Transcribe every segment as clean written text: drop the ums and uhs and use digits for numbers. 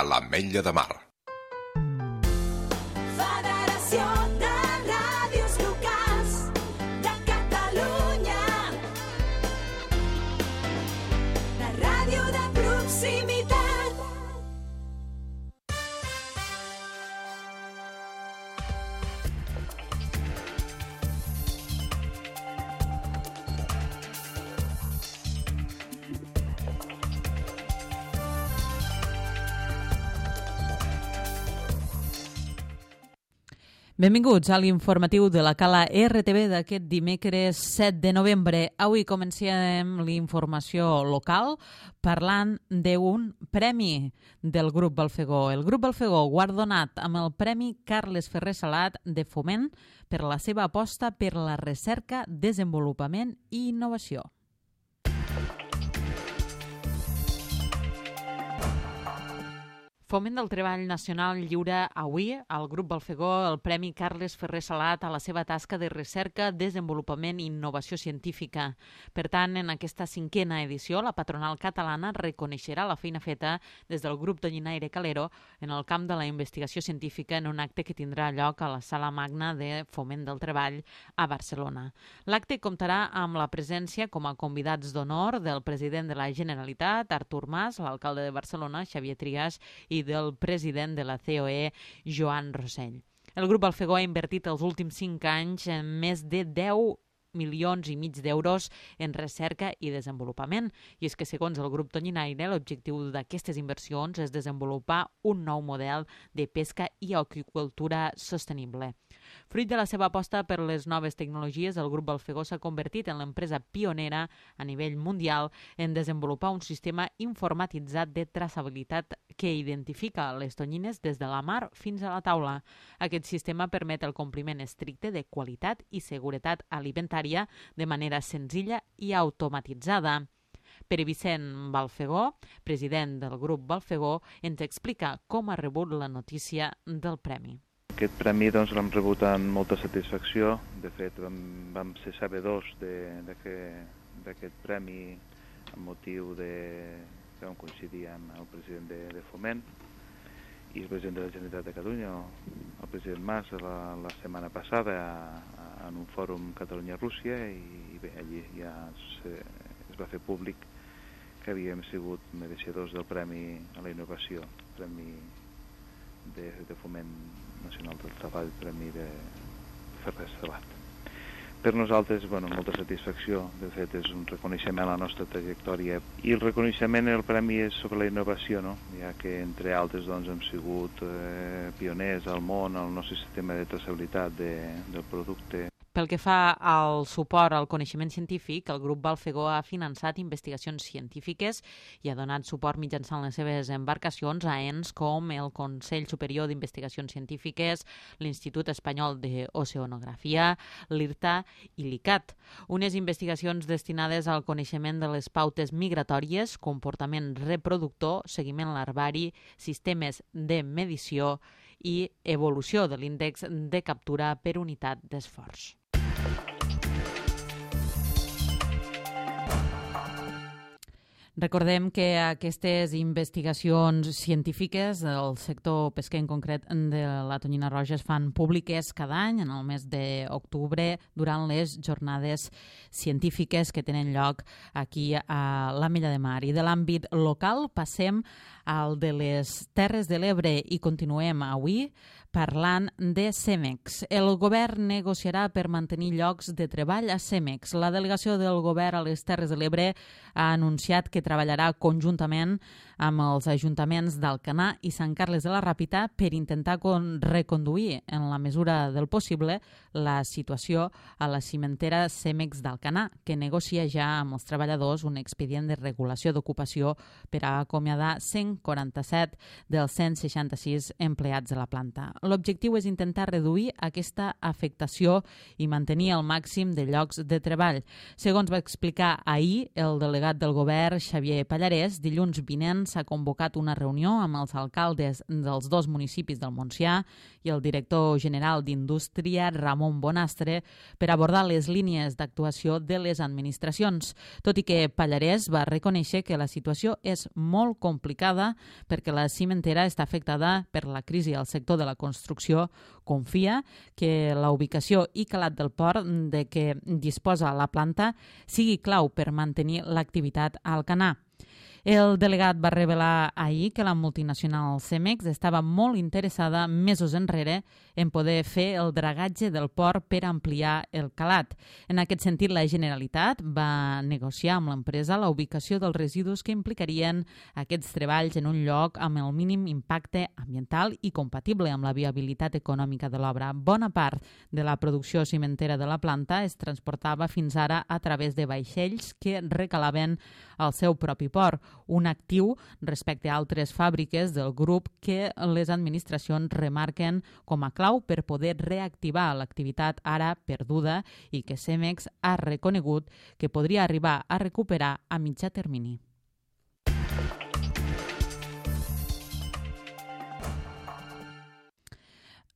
a l'Ametlla de Mar. Federació de Ràdios Locals de Catalunya. La ràdio de proximitat. Benvinguts a l'informatiu de la Cala RTV d'aquest dimecres 7 de novembre. Avui comencem l'informació local parlant d'un premi del Grup Balfegó. El Grup Balfegó guardonat amb el Premi Carles Ferrer Salat de Foment per la seva aposta per la recerca, desenvolupament i innovació. Foment del Treball Nacional lliura avui al Grup Balfegó el Premi Carles Ferrer Salat a la seva tasca de recerca, desenvolupament i innovació científica. Per tant, en aquesta cinquena edició, la patronal catalana reconeixerà la feina feta des del grup Doñinaire Calero en el camp de la investigació científica en un acte que tindrà lloc a la Sala Magna de Foment del Treball a Barcelona. L'acte comptarà amb la presència com a convidats d'honor del president de la Generalitat, Artur Mas, l'alcalde de Barcelona, Xavier Trias, i del president de la COE, Joan Rossell. El Grup Balfegó ha invertit els últims 5 anys en més de 10,5 milions d'euros en recerca i desenvolupament. I és que, segons el grup Doñinaire, l'objectiu d'aquestes inversions és desenvolupar un nou model de pesca i aqüicultura sostenible. Fruit de la seva aposta per les noves tecnologies, el grup Balfegó s'ha convertit en l'empresa pionera a nivell mundial en desenvolupar un sistema informatitzat de traçabilitat que identifica les tonyines des de la mar fins a la taula. Aquest sistema permet el compliment estricte de qualitat i seguretat alimentària de manera senzilla i automatitzada. Pere Vicent Balfegó, president del grup Balfegó, ens explica com ha rebut la notícia del premi. Aquest premi l'hem rebut amb molta satisfacció. De fet, vam ser sabedors d'aquest premi amb motiu que vam coincidir amb el president de Foment i el president de la Generalitat de Catalunya, el president Mas, la setmana passada en un fòrum Catalunya-Rússia, i bé, allí ja es va fer públic que havíem sigut mereixedors del Premi a la Innovació, Premi de Foment Nacional del Treball, Premi de Ferrer Salat. Per nosaltres, molta satisfacció. De fet, és un reconeixement a la nostra trajectòria. I el reconeixement, el premi és sobre la innovació, no? Ja que, entre altres, hem sigut pioners al món, al nostre sistema de traçabilitat del producte. Pel que fa al suport al coneixement científic, el grup Balfegó ha finançat investigacions científiques i ha donat suport mitjançant les seves embarcacions a ens com el Consell Superior d'Investigacions Científiques, l'Institut Espanyol d'Oceanografia, l'IRTA i l'ICAT. Unes investigacions destinades al coneixement de les pautes migratòries, comportament reproductor, seguiment larvari, sistemes de medició i evolució de l'índex de captura per unitat d'esforç. Recordem que aquestes investigacions científiques del sector pesquer, en concret de la tonyina roja, es fan públiques cada any en el mes d'octubre durant les jornades científiques que tenen lloc aquí a l'Ametlla de Mar. I de l'àmbit local passem al de les Terres de l'Ebre i continuem avui parlant de Cemex. El govern negociarà per mantenir llocs de treball a Cemex. La delegació del govern a les Terres de l'Ebre ha anunciat que treballarà conjuntament amb els ajuntaments d'Alcanar i Sant Carles de la Ràpita per intentar reconduir, en la mesura del possible, la situació a la cimentera Cemex d'Alcanar, que negocia ja amb els treballadors un expedient de regulació d'ocupació per a acomiadar 147 dels 166 empleats de la planta. L'objectiu és intentar reduir aquesta afectació i mantenir el màxim de llocs de treball. Segons va explicar ahir el delegat del govern, Xavier Pallarès, dilluns vinent s'ha convocat una reunió amb els alcaldes dels 2 municipis del Montsià i el director general d'Indústria, Ramon Bonastre, per abordar les línies d'actuació de les administracions, tot i que Pallarès va reconèixer que la situació és molt complicada perquè la cimentera està afectada per la crisi al sector de la construcció. Confia que la ubicació i calat del port de què disposa la planta sigui clau per mantenir l'activitat a Alcanar. El delegat va revelar ahir que la multinacional Cemex estava molt interessada mesos enrere en poder fer el dragatge del port per ampliar el calat. En aquest sentit, la Generalitat va negociar amb l'empresa la ubicació dels residus que implicarien aquests treballs en un lloc amb el mínim impacte ambiental i compatible amb la viabilitat econòmica de l'obra. Bona part de la producció cimentera de la planta es transportava fins ara a través de vaixells que recalaven al seu propi port, un actiu respecte a altres fàbriques del grup que les administracions remarquen com a clau per poder reactivar l'activitat ara perduda i que Cemex ha reconegut que podria arribar a recuperar a mitjà termini.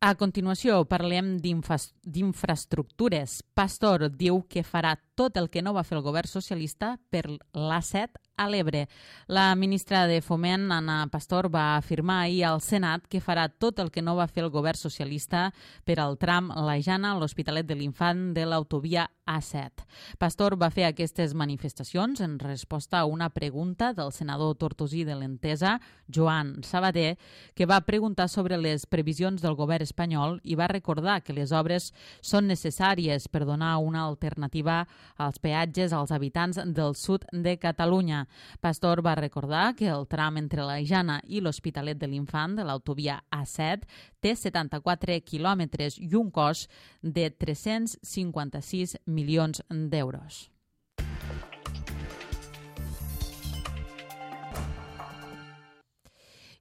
A continuació parlem d'infraestructures. Pastor diu que farà tot el que no va fer el govern socialista per l'A7 a l'Ebre. La ministra de Foment, Ana Pastor, va afirmar ahir al Senat que farà tot el que no va fer el govern socialista per al tram La Jana a l'Hospitalet de l'Infant de l'autovia A7. Pastor va fer aquestes manifestacions en resposta a una pregunta del senador tortosí de l'Entesa, Joan Sabater, que va preguntar sobre les previsions del govern espanyol i va recordar que les obres són necessàries per donar una alternativa als peatges als habitants del sud de Catalunya. Pastor va recordar que el tram entre la Jana i l'Hospitalet de l'Infant de l'autovia A7 té 74 quilòmetres i un cost de 356 milions d'euros.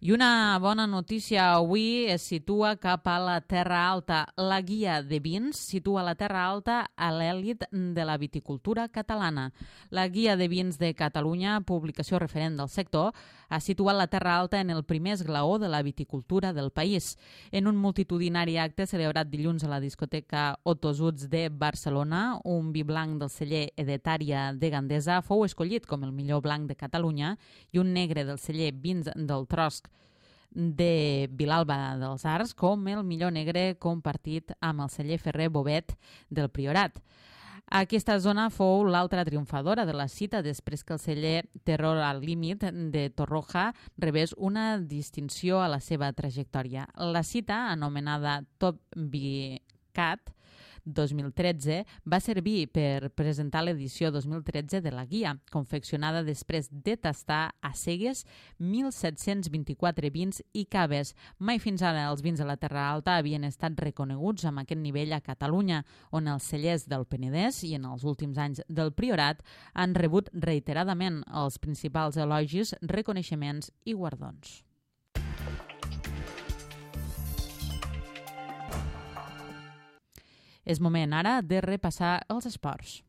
I una bona notícia avui es situa cap a la Terra Alta. La guia de vins situa la Terra Alta a l'èlit de la viticultura catalana. La guia de vins de Catalunya, publicació referent del sector, ha situat la Terra Alta en el primer esglaó de la viticultura del país. En un multitudinari acte celebrat dilluns a la discoteca Otosuts de Barcelona, un vi blanc del celler Edetària de Gandesa fou escollit com el millor blanc de Catalunya i un negre del celler Vins del Trosc de Vilalba dels Arcs com el millor negre compartit amb el celler Ferrer Bobet del Priorat. Aquesta zona fou l'altra triomfadora de la cita després que el celler Terror al Límit de Torroja rebés una distinció a la seva trajectòria. La cita, anomenada Top Vicat 2013, va servir per presentar l'edició 2013 de la guia, confeccionada després de tastar a cegues 1.724 vins i caves. Mai fins ara els vins de la Terra Alta havien estat reconeguts amb aquest nivell a Catalunya, on els cellers del Penedès i en els últims anys del Priorat han rebut reiteradament els principals elogis, reconeixements i guardons. És moment ara de repassar els esports.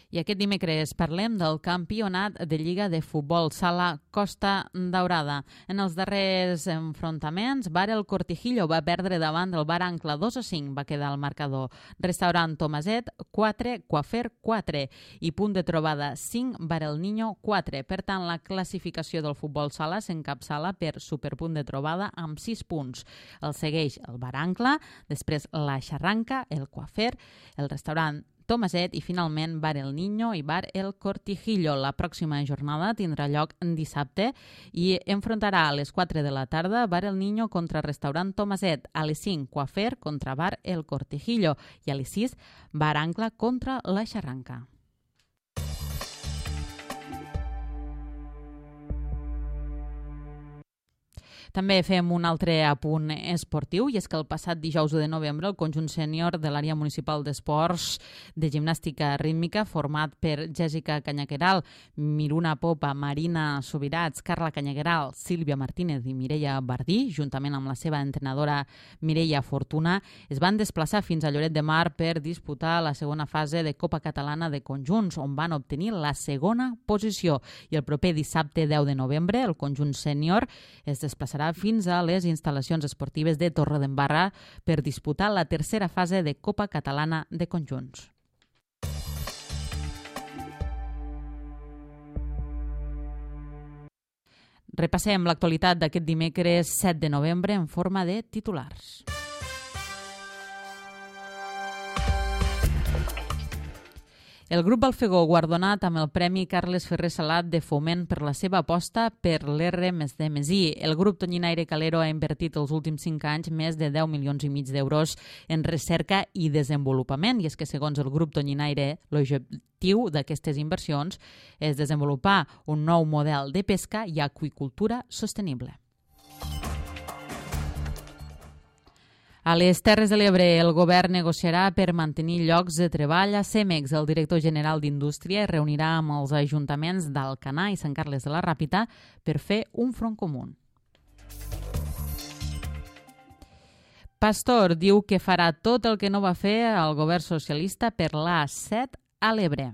I aquest dimecres parlem del campionat de Lliga de Futbol Sala Costa Daurada. En els darrers enfrontaments, Bar El Cortijillo va perdre davant del Bar Ancla 2-5, va quedar al marcador. Restaurant Tomaset 4, Coafer 4 i punt de trobada 5, Bar El Niño 4. Per tant, la classificació del futbol sala s'encapçala per superpunt de trobada amb 6 punts. El segueix el Bar Ancla, després la Xarranca, el Coafer, el restaurant Tomaset i finalment Bar El Niño i Bar El Cortijillo. La pròxima jornada tindrà lloc dissabte i enfrontarà a les 4 de la tarda Bar El Niño contra Restaurant Tomaset, a les 5 Coafer contra Bar El Cortijillo i a les 6 Bar Ancla contra la Xarranca. També fem un altre apunt esportiu, i és que el passat dijous de novembre el conjunt sènior de l'àrea municipal d'esports de gimnàstica rítmica, format per Jèssica Canyaqueral, Miruna Popa, Marina Subirats, Carla Canyaqueral, Sílvia Martínez i Mireia Bardí, juntament amb la seva entrenadora Mireia Fortuna, es van desplaçar fins a Lloret de Mar per disputar la segona fase de Copa Catalana de Conjunts, on van obtenir la segona posició. I el proper dissabte 10 de novembre el conjunt sènior es desplaçarà fins a les instal·lacions esportives de Torredembarra per disputar la tercera fase de Copa Catalana de Conjunts. Repassem l'actualitat d'aquest dimecres 7 de novembre en forma de titulars. El grup Balfegó, guardonat amb el Premi Carles Ferrer Salat de Foment per la seva aposta per l'R+D+I. El grup Tonyinaire Calero ha invertit els últims 5 anys més de 10 milions i mig d'euros en recerca i desenvolupament. I és que, segons el grup Tonyinaire, l'objectiu d'aquestes inversions és desenvolupar un nou model de pesca i aqüicultura sostenible. A les Terres de l'Ebre, el govern negociarà per mantenir llocs de treball a Cemex. El director general d'Indústria es reunirà amb els ajuntaments d'Alcanar i Sant Carles de la Ràpita per fer un front comú. Pastor diu que farà tot el que no va fer el govern socialista per l'A7 a l'Ebre.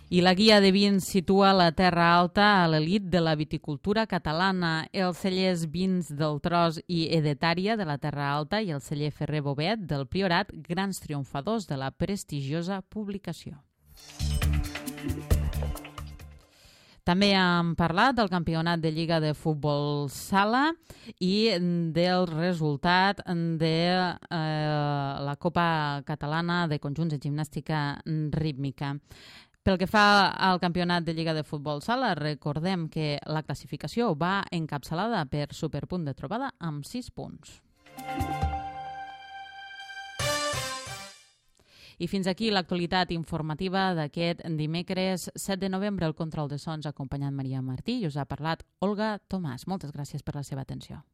I la guia de vins situa la Terra Alta a l'elit de la viticultura catalana. Els cellers Vins del Tros i Edetària de la Terra Alta i el celler Ferrer Bobet del Priorat, grans triomfadors de la prestigiosa publicació. També hem parlat del campionat de Lliga de Futbol Sala i del resultat de la Copa Catalana de Conjunts de Gimnàstica Rítmica. Pel que fa al campionat de Lliga de Futbol Sala, recordem que la classificació va encapçalada per Superpunt de Trobada amb 6 punts. I fins aquí l'actualitat informativa d'aquest dimecres 7 de novembre. El control de sons ha acompanyat Maria Martí i us ha parlat Olga Tomàs. Moltes gràcies per la seva atenció.